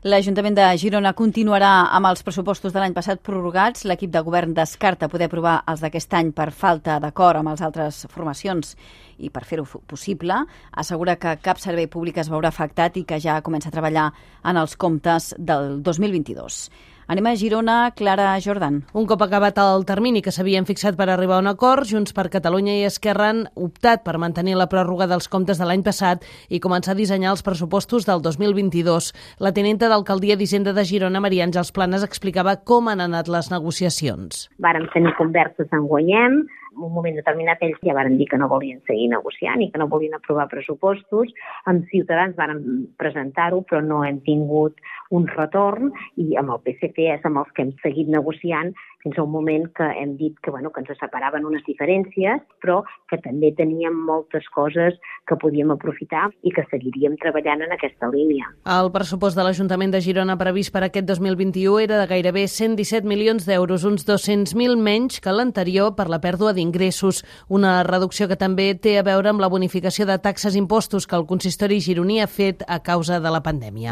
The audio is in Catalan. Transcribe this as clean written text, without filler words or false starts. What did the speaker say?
L'Ajuntament de Girona continuarà amb els pressupostos de l'any passat prorrogats. L'equip de govern descarta poder aprovar els d'aquest any per falta d'acord amb les altres formacions i per fer-ho possible. Assegura que cap servei públic es veurà afectat i que ja comença a treballar en els comptes del 2022. Anem a Girona, Clara Jordan. Un cop acabat el termini que s'havien fixat per arribar a un acord, Junts per Catalunya i Esquerra han optat per mantenir la pròrroga dels comptes de l'any passat i començar a dissenyar els pressupostos del 2022. La tinenta d'Alcaldia d'Hisenda de Girona, Maria Àngels Planes, explicava com han anat les negociacions. Vàrem tenir converses en guanyem. En un moment determinat ells ja varen dir que no volien seguir negociant i que no volien aprovar pressupostos. Amb Ciutadans varen presentar-ho, però no hem tingut un retorn, i amb el PSC és amb els que hem seguit negociant fins a un moment que hem dit que ens separaven unes diferències, però que també teníem moltes coses que podíem aprofitar i que seguiríem treballant en aquesta línia. El pressupost de l'Ajuntament de Girona previst per aquest 2021 era de gairebé 117 milions d'euros, uns 200.000 menys que l'anterior per la pèrdua d'ingressos, una reducció que també té a veure amb la bonificació de taxes i impostos que el consistori gironí ha fet a causa de la pandèmia.